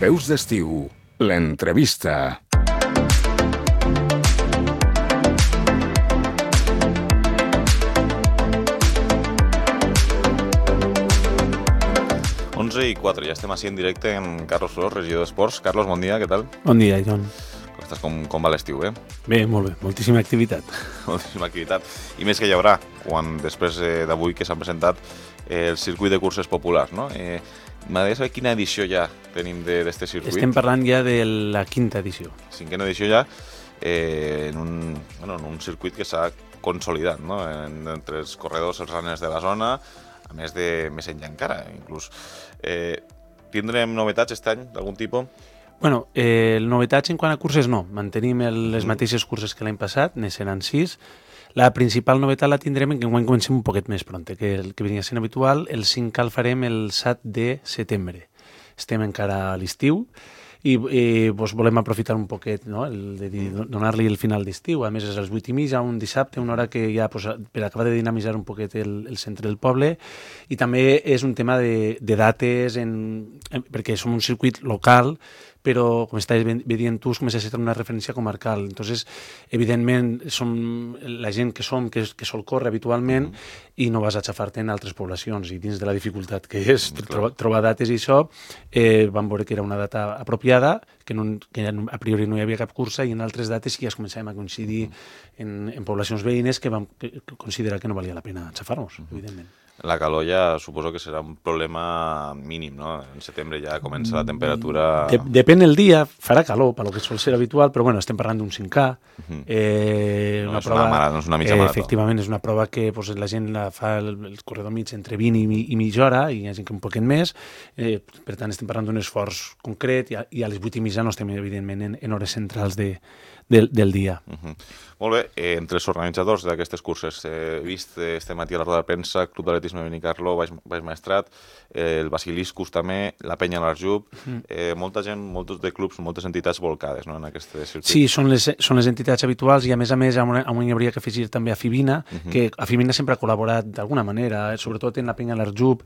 Veus d'estiu, l'entrevista. I 4, ja estem així en directe amb Carlos Flors, regidor d'Esports. Carlos, bon dia, què tal? Bon dia, John. Com va l'estiu, Bé, molt bé, moltíssima activitat. Moltíssima activitat. I més que hi haurà, quan després d'avui que s'han presentat el circuit de curses populars, no? M'agradaria saber quina edició ja tenim d'aquest circuit. Estem parlant ja de la 5a edició. 5a edició ja, en un circuit que s'ha consolidat, no? Entre els corredors, els runners de la zona, a més enllà encara, inclús. Tindrem novetats aquest any, d'algun tipus? Bueno, novetats en quant a curses no. Mantenim les mateixes curses que l'any passat, ne seran 6. La principal novetat la tindrem en que enguany comencem un poquet més pronte, que el que venia sent habitual. El 5K el farem el 7 de setembre. Estem encara a l'estiu i volem aprofitar un poquet, no? Donar-li el final d'estiu. A més, és a les 8:30, un dissabte, una hora que ja per acabar de dinamitzar un poquet el centre del poble. I també és un tema de dates, perquè som un circuit local, però, com estàs veient tu, comença a ser una referència comarcal. Entonces, evidentment, som la gent que sol córrer habitualment i no vas a xafar-te en altres poblacions. I dins de la dificultat que és trobar dates i això, vam veure que era una data apropiada, que a priori no hi havia cap cursa, i en altres dates sí que ja començàvem a coincidir en poblacions veïnes que vam considerar que no valia la pena xafar-nos, evidentment. La calor ja suposo que serà un problema mínim, no? En setembre ja comença la temperatura... Depèn el dia, farà calor, pel que sol ser habitual, però bueno, estem parlant d'un 5K. No és una mitja marató. Efectivament, és una prova que la gent la fa el corredor mig entre 20 i mitja hora, i hi ha gent que un poquet més. Per tant, estem parlant d'un esforç concret, i a les 8:30 no estem, evidentment, en hores centrals del dia. Molt bé, entre els organitzadors d'aquestes curses he vist este matí a la roda de premsa Club d'Atletisme Benicarló, Baix Maestrat, el Basiliscus també, la Penya l'Arjub, molta gent, molts de clubs, moltes entitats volcades, no, en aquest circuit. Sí, són les entitats habituals, i a més hi hauria que afegir també a Fibina, que a Fibina sempre ha col·laborat d'alguna manera, sobretot en la Penya l'Arjub.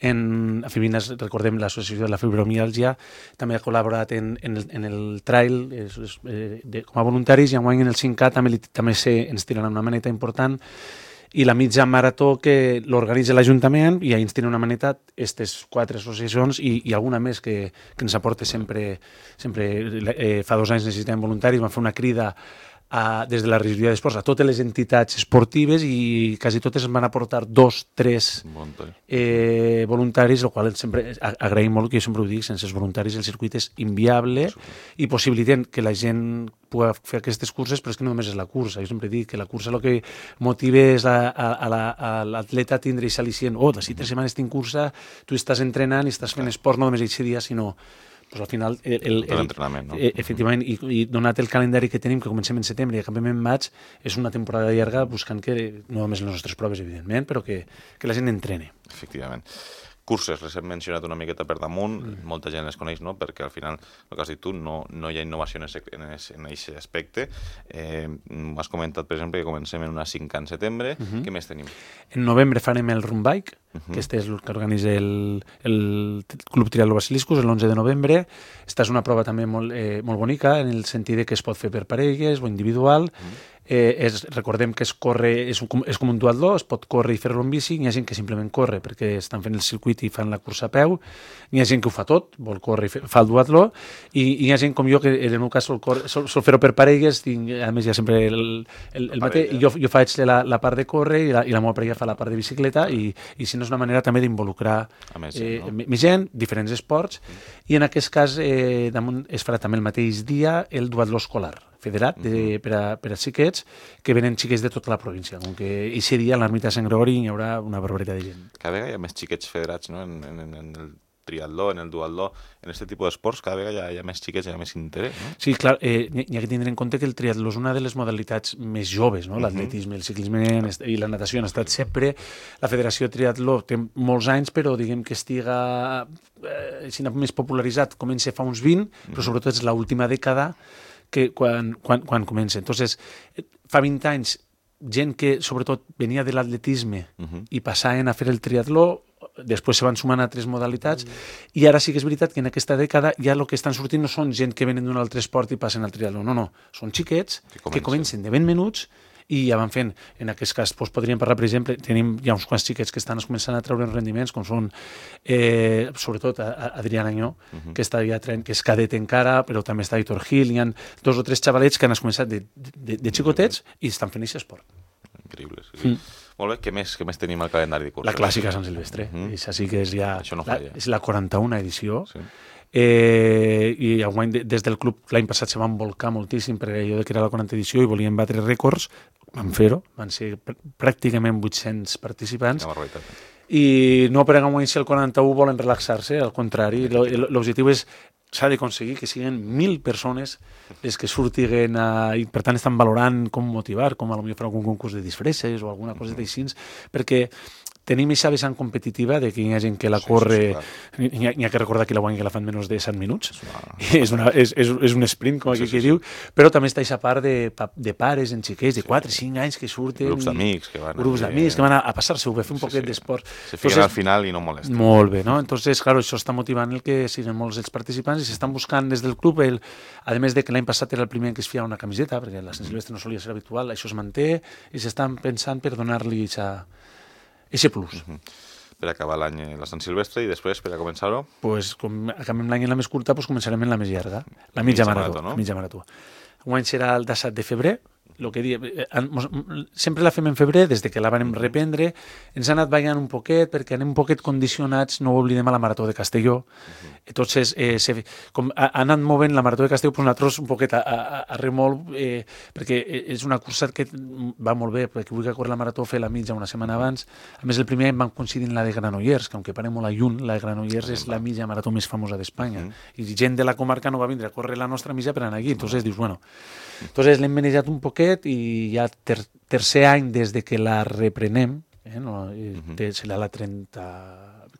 A Fibina, recordem, l'associació de la fibromiàlgia també ha col·laborat en el trail com a voluntaris, i enguany en el 5K també ens tiraran una maneta important, i la mitja marató que l'organitza l'Ajuntament, i ens tira una maneta aquestes 4 associacions i alguna més que ens aporta sempre. Fa 2 anys necessitem voluntaris, vam fer una crida des de la regidoria d'Esports a totes les entitats esportives, i quasi totes ens van aportar 2-3 voluntaris, el qual sempre agraïm molt, que jo sempre ho dic, sense els voluntaris el circuit és inviable, i possibiliten que la gent pugui fer aquestes curses, però és que no només és la cursa. Jo sempre dic que la cursa el que motiva és a l'atleta a tindre aquest al·licient. D'ací 3 setmanes tinc cursa, tu estàs entrenant i estàs fent esport no només aquest dia, sinó al final, l'entrenament, no? Efectivament, i donat el calendari que tenim, que comencem en setembre i acabem en maig, és una temporada llarga buscant que, no només les nostres proves, evidentment, però que la gent entrene. Efectivament. Curses, les hem mencionat una miqueta per damunt, molta gent les coneix, no? Perquè al final, el que has dit tu, no hi ha innovació en aquest aspecte. M'has comentat, per exemple, que comencem en una 5K en setembre. Què més tenim? En novembre farem el Run Bike, que este és el que organitza el Club Triatló Basiliscus, l'11 de novembre. Esta és una prova també molt bonica, en el sentit que es pot fer per parelles o individual. Recordem que és com un duatló, es pot córrer i fer-lo en bici. Hi ha gent que simplement corre perquè estan fent el circuit i fan la cursa a peu. Hi ha gent que ho fa tot, vol córrer i fa el duatló, i hi ha gent com jo que en el meu cas sol fer-ho per parelles. A més, hi ha sempre el mateix. Jo faig la part de córrer i la meva parella fa la part de bicicleta, i si no és una manera també d'involucrar més gent, diferents esports, i en aquest cas es farà també el mateix dia el duatló escolar federat per a xiquets, que venen xiquets de tota la província. Com que aquest dia a l'ermita de Sant Gregori hi haurà una barbaritat de gent. Cada vegada hi ha més xiquets federats, no? En el triatló, en el duatló, en aquest tipus d'esports, cada vegada hi ha més xiquets, hi ha més interès, no? Sí, clar, hi ha que tindre en compte que el triatló és una de les modalitats més joves, no? L'atletisme, el ciclisme i la natació han estat sempre. La Federació Triatló té molts anys, però diguem que estiga més popularitzat, comença fa uns 20, però sobretot és l'última dècada que quan comença. Entonces, fa 20 anys, gent que sobretot venia de l'atletisme i passaven a fer el triatló, després se van sumant altres modalitats, i ara sí que és veritat que en aquesta dècada ja el que estan sortint no són gent que venen d'un altre esport i passen al triatló, no, són xiquets que comencen de 20 minuts i ja van fent. En aquest cas podríem parlar, per exemple, tenim ja uns quants xiquets que estan començant a treure rendiments, com són sobretot Adrián Añó, que està ja que és cadet encara, però també està Héctor Gil, hi ha 2 o 3 xavalets que han començat de xicotets i estan fent aquest esport. Increïble, sí. Molt bé, què més tenim al calendari de curses? La clàssica Sant Silvestre, això sí que és ja... Això no falla. És la 41a edició, i enguany des del club l'any passat se van volcar moltíssim perquè allò que era la 40a edició i volien batre rècords, van fer-ho, van ser pràcticament 800 participants, i no per enguany si el 41 volen relaxar-se, al contrari, l'objectiu és s'ha d'aconseguir que siguin 1.000 persones les que surtiguen i per tant estan valorant com motivar, com potser fer algun concurs de disfresses o alguna cosa d'així, perquè tenim aquesta vessant competitiva de que hi ha gent que la corre, n'hi ha que recordar que la guanya que la fan menys de 7 minuts, és un sprint, com aquí que diu, però també està aquesta part de pares en xiquets de 4 o 5 anys que surten, grups d'amics que van a passar-se-ho, a fer un poquet d'esport. Se fiquen al final i no molesten. Molt bé, no? Entonces, claro, això està motivant el que siguin molts els participants i s'estan buscant des del club, a més de que l'any passat era el primer que es feia una camiseta, perquè la Sant Silvestre no solia ser habitual, això es manté i s'estan pensant per donar-li ese plus. Per acabar l'any la Sant Silvestre i després, per a començar-ho? Com acabem l'any en la més curta, començarem en la més llarga, la mitja marató. Enguany serà el 17 de febrer, sempre la fem en febrer, des que la vam reprendre, ens ha anat ballant un poquet, perquè anem un poquet condicionats, no ho oblidem, a la Marató de Castelló. Entonces, com ha anat movent la Marató de Castelló, nosaltres un poquet a remolc, perquè és una cursa que va molt bé, perquè vull que córrer la Marató, fer la mitja una setmana abans. A més, el primer any van coincidir en la de Granollers, que aunque parem molt lluny, la de Granollers és la mitja marató més famosa d'Espanya. I gent de la comarca no va vindre a córrer la nostra mitja per anar aquí. Entonces dius, bueno... Entonces l'hem manejat un poquet i ja tercer any des de que la reprenem, serà la 30,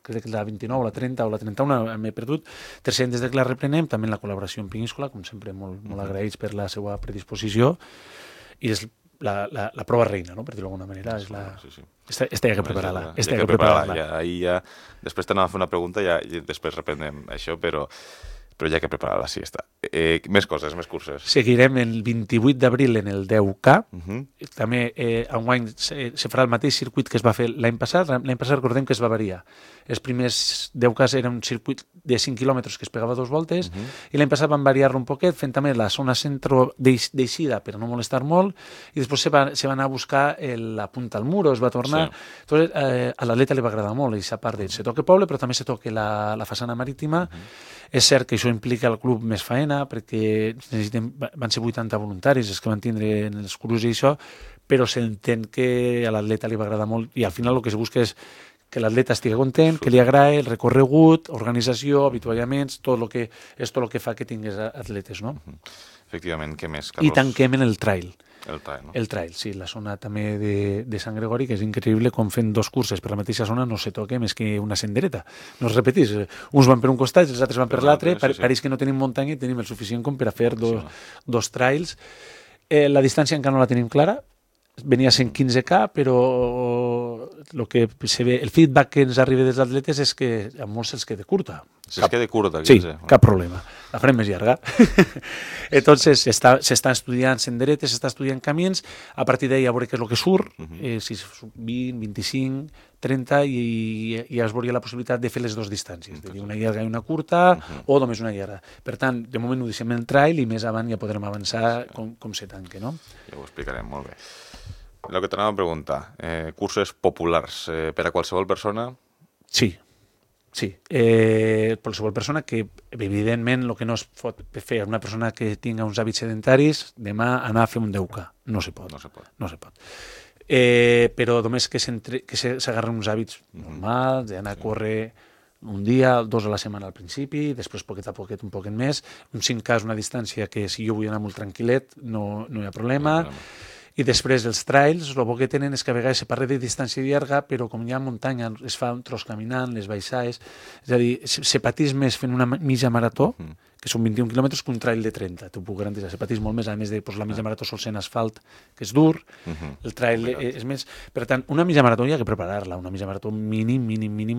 crec que la 29, la 30 o la 31, m'he perdut, tercer any des de que la reprenem, també en la col·laboració amb Península, com sempre molt agraïts per la seva predisposició, i és la prova reina, no? Per dir-ho d'alguna manera. Esta hi ha que preparar-la. Ja, després t'anava a fer una pregunta i després reprenem això, però ja que preparar-la, sí, està. Més coses, més curses. Seguirem el 28 d'abril en el 10K. També enguany se farà el mateix circuit que es va fer l'any passat. L'any passat recordem que es va variar. Els primers 10Ks era un circuit de 5 quilòmetres que es pegava 2 voltes i l'any passat van variar-lo un poquet fent també la zona centro d'eixida per no molestar molt i després se va anar a buscar la punta al mur, es va tornar. Entonces, a l'atleta li va agradar molt aquesta part de se toca poble però també se toca la façana marítima. És cert que això implica al club més faena perquè van ser 80 voluntaris els que van tindre en els cursos i això, però s'entén que a l'atleta li va agradar molt i al final el que se busca és que l'atleta estigui content, que li agradi el recorregut, organització, avituallaments, tot el que fa que tingués atletes, no? Efectivament, què més, Carlos? I tanquem en el trail. El trail, no? El trail, sí, la zona també de Sant Gregori, que és increïble com fent 2 curses per la mateixa zona no se toca més que una sendereta. No es repetís, uns van per un costat i els altres van per l'altre, pareix que no tenim muntanya i tenim el suficient com per a fer dos trails. La distància encara no la tenim clara, venia sent 15K, però el feedback que ens arriba dels atletes és que a molts se'ls queda curta. Se'ls queda curta, 15. Sí, cap problema. La farem més llarga. Entonces, s'està estudiant senderetes, s'està estudiant camins, a partir d'ahí a veure què és el que surt, si 20, 25, 30, i es veuria la possibilitat de fer les 2 distàncies, de dir una llarga i una curta, o només una llarga. Per tant, de moment ho deixem en el trail i més avant ja podrem avançar com se tanque, no? Ja ho explicarem, molt bé. El que t'anava a preguntar, curses populars per a qualsevol persona? Sí. Qualsevol persona que, evidentment, el que no es pot fer una persona que tinga uns hàbits sedentaris, demà anar a fer un 10K. No se pot. Però només que s'agarren uns hàbits normals, d'anar a córrer un dia, 2 a la setmana al principi, després poquet a poquet, un poquet més. Un 5K és una distància que si jo vull anar molt tranquil·let no hi ha problema. I després els trails, el bo que tenen és que a vegades se parla de distància llarga, però com hi ha muntanya, es fa un tros caminant, les baixades, és a dir, se patís més fent una mitja marató que són 21 quilòmetres, que un trail de 30. T'ho puc garantir, se pateix molt més, a més de la mitja marató sol ser en asfalt, que és dur, el trail és més... Per tant, una mitja marató hi ha que preparar-la, una mitja marató mínim,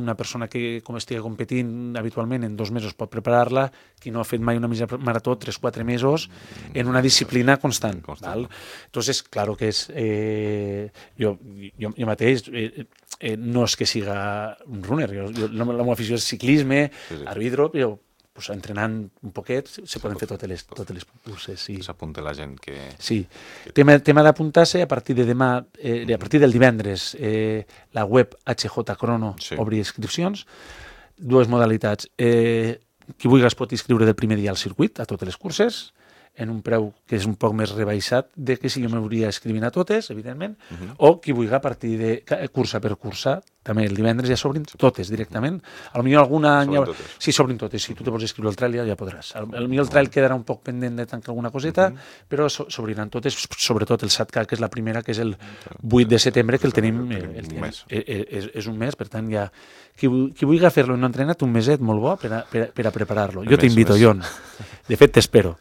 una persona que estigui competint habitualment en 2 mesos pot preparar-la, qui no ha fet mai una mitja marató 3-4 mesos en una disciplina constant. Val? Entonces, claro que és... Jo mateix no és que siga un runner, la meva afició és ciclisme, arbitro, però pues, entrenant un poquet se poden fer totes les curses. Sí. S'apunta la gent que... Sí. Tema d'apuntar-se, a partir de demà, a partir del divendres, la web HJ Crono obri inscripcions, 2 modalitats. Qui vulgui es pot inscriure del primer dia al circuit, a totes les curses, en un preu que és un poc més rebaixat de que si jo m'hauria escrivint a totes, evidentment, o qui vulgui a partir de cursa per cursa, també el divendres ja s'obrin totes directament. Potser alguna... Sí, s'obrin totes. Si tu te vols escriure el trail ja podràs. Potser el trail quedarà un poc pendent de tancar alguna coseta, però s'obriran totes, sobretot el SATCA, que és la primera, que és el 8 de setembre, que el tenim... És un mes, per tant, ja... Qui vulgui fer-lo i no ha entrenat, un meset molt bo per a preparar-lo. Jo t'invito, Jon. De fet, t'espero.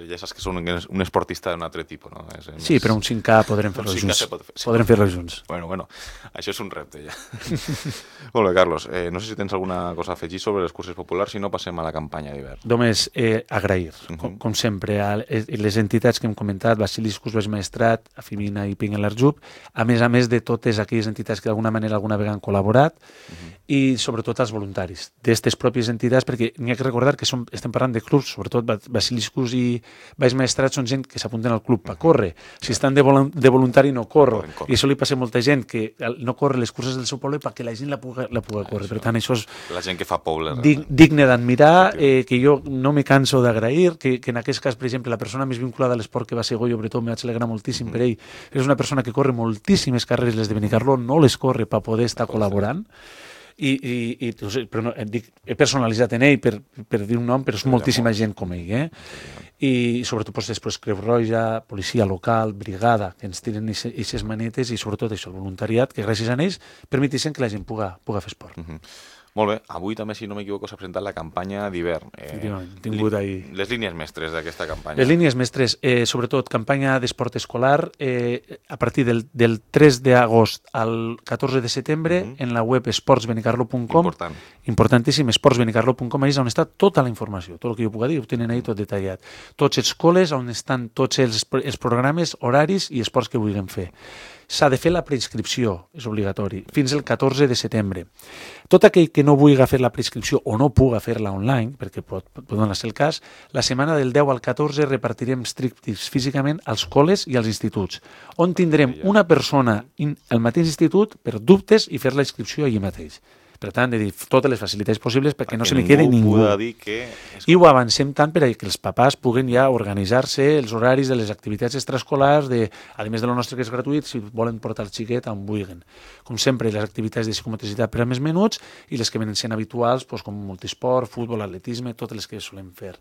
Ja saps que són un esportista d'un altre tipus, no? Sí, però un 5K podrem fer-lo junts. Podrem fer-lo junts. Bueno, això és un repte, ja. Molt bé, Carlos. No sé si tens alguna cosa a afegir sobre les curses populars, si no passem a la campanya d'hivern. Només agrair, com sempre, a les entitats que hem comentat, Basiliscus, Baix Maestrat, Afimina i Ping en l'Arjub, a més de totes aquelles entitats que d'alguna manera alguna vegada han col·laborat, i sobretot als voluntaris d'aquestes pròpies entitats, perquè n'hi ha que recordar que estem parlant de clubs, sobretot Basiliscus i Baix Maestrat són gent que s'apunten al club per córrer. Si estan de voluntari no corro. I això li passa a molta gent que no corre les curses del seu poble perquè la gent la puga córrer. Per tant, això és la gent que fa poble. Digne d'admirar, que jo no me canso d'agrair, que en aquest cas, per exemple, la persona més vinculada a l'esport que va ser Goyo Bretó, me vaig alegrar moltíssim per ell, és una persona que corre moltíssimes carreres, les de Benicarló, no les corre per poder estar col·laborant, però no, he personalitzat en ell per dir un nom, però és moltíssima gent com ell, i sobretot després Creu Roja, policia local, brigada, que ens tiren aquestes manetes, i sobretot això, el voluntariat, que gràcies a ells permeteixen que la gent puga fer esport. Molt bé, avui també, si no m'equivoco, s'ha presentat la campanya d'hivern. Les línies mestres d'aquesta campanya. Les línies mestres, sobretot campanya d'esport escolar, a partir del 3 d'agost al 14 de setembre, en la web esportsbenicarlo.com, importantíssim, esportsbenicarlo.com, és on està tota la informació, tot el que jo puc dir, ho tenen ahí tot detallat. Tots els col·les, on estan tots els programes, horaris i esports que vulguem fer. S'ha de fer la preinscripció, és obligatori, fins el 14 de setembre. Tot aquell que no vulgui fer la preinscripció o no puga fer-la online, perquè pot donar-se el cas, la setmana del 10 al 14 repartirem striptease físicament als col·les i als instituts, on tindrem una persona al mateix institut per dubtes i fer la inscripció allí mateix. Per tant, de dir totes les facilitats possibles perquè no se li quede ningú. I ho avancem tant per que els papàs puguen ja organitzar-se els horaris de les activitats extraescolars, a més de lo nostre que és gratuït, si volen portar el xiquet on vulguin. Com sempre, les activitats de psicomotricitat per a més menuts i les que venen sent habituals, com multisport, futbol, atletisme, totes les que solem fer.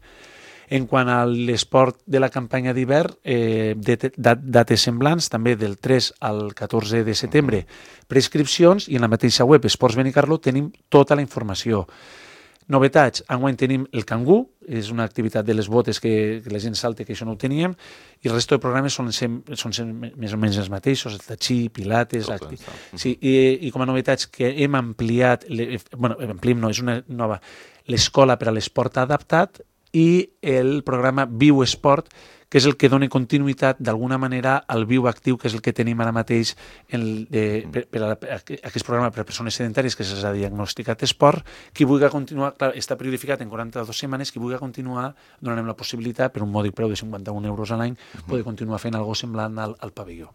En quant a l'esport de la campanya d'hivern, dates semblants, també del 3 al 14 de setembre, prescripcions, i en la mateixa web Esports Benicarlo tenim tota la informació. Novetats, enguany tenim el cangú, és una activitat de les botes que la gent salta, que això no ho teníem, i el resto de programes són més o menys els mateixos, el tatxí, pilates... Sí, i com a novetats que hem ampliat, és una nova, l'escola per a l'esport adaptat, i el programa Viu Esport, que és el que dona continuïtat d'alguna manera al viu actiu, que és el que tenim ara mateix per aquest programa per a persones sedentàries que s'ha diagnosticat esport. Qui vulgui continuar, clar, està periodificat en 42 setmanes, qui vulgui continuar, donarem la possibilitat, per un mòdic preu de 51 euros a l'any, poder continuar fent alguna cosa semblant al pavelló.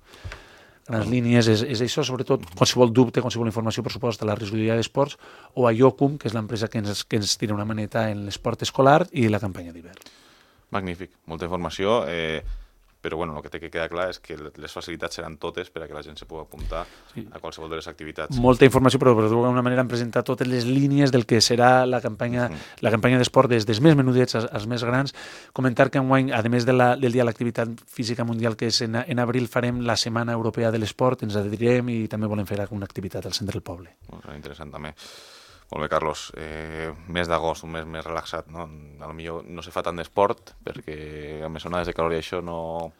Grans línies és això, sobretot qualsevol dubte, qualsevol informació, per supost, a la regidoria d'esports o a IOCUM, que és l'empresa que ens tira una maneta en l'esport escolar i la campanya d'hivern. Magnífic, molta informació, però bueno, el que té que quedar clar és que les facilitats seran totes per a que la gent se pugui apuntar a qualsevol de les activitats. Molta informació, però d'alguna manera hem presentat totes les línies del que serà la campanya d'esport, des dels més menudets als més grans. Comentar que enguany, a més del Dia de l'Activitat Física Mundial, que és en abril, farem la Setmana Europea de l'Esport, ens adherirem i també volem fer alguna activitat al centre del poble. Molt interessant també. Molt bé, Carlos. Mes d'agost, un mes més relaxat, no? Potser no se fa tant d'esport, perquè amb les onades de calor i això no...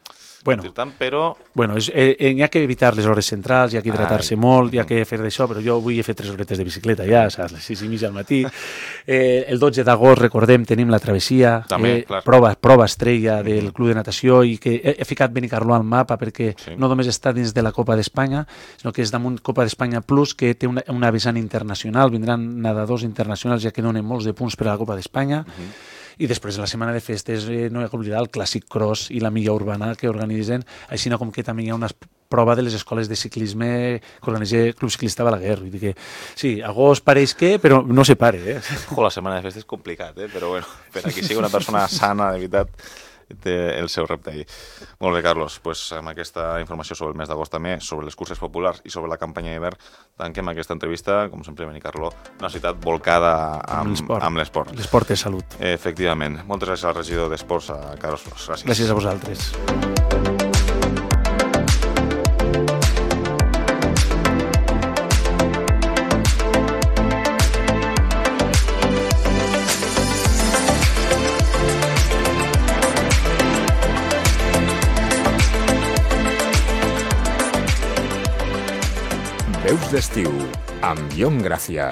Bueno, tant, però... Bueno, hi ha que evitar les hores centrals, hi ha que hidratar-se molt, hi ha que fer d'això, però jo avui he fet 3 horetes de bicicleta ja, saps, les 6:30 al matí. El 12 d'agost, recordem, tenim la travessia, També, clar. prova estrella del Club de Natació, i que he ficat Benicarló al mapa perquè no només està dins de la Copa d'Espanya, sinó que és damunt Copa d'Espanya Plus, que té una vessant internacional, vindran nedadors internacionals ja que donen molts de punts per a la Copa d'Espanya. I després, en la setmana de festes, no hi ha que oblidar el Clàssic Cross i la Milla Urbana que organitzen, així com que també hi ha una prova de les escoles de ciclisme que organitza Club Ciclista Balaguer. Vull dir que, sí, agost pareix que, però no se pare. La setmana de festes és complicat, però bueno, per a qui sigui una persona sana, de veritat, té el seu repte ahí. Molt bé, Carlos, pues amb aquesta informació sobre el mes d'agost també, sobre les curses populars i sobre la campanya d'hivern, tanquem aquesta entrevista, com sempre, Benicarló, una ciutat volcada amb l'esport. L'esport és salut. Efectivament. Moltes gràcies al regidor d'Esports, a Carlos Flos. Gràcies. Gràcies a vosaltres. Veus d'estiu, amb Guillaume Gràcia.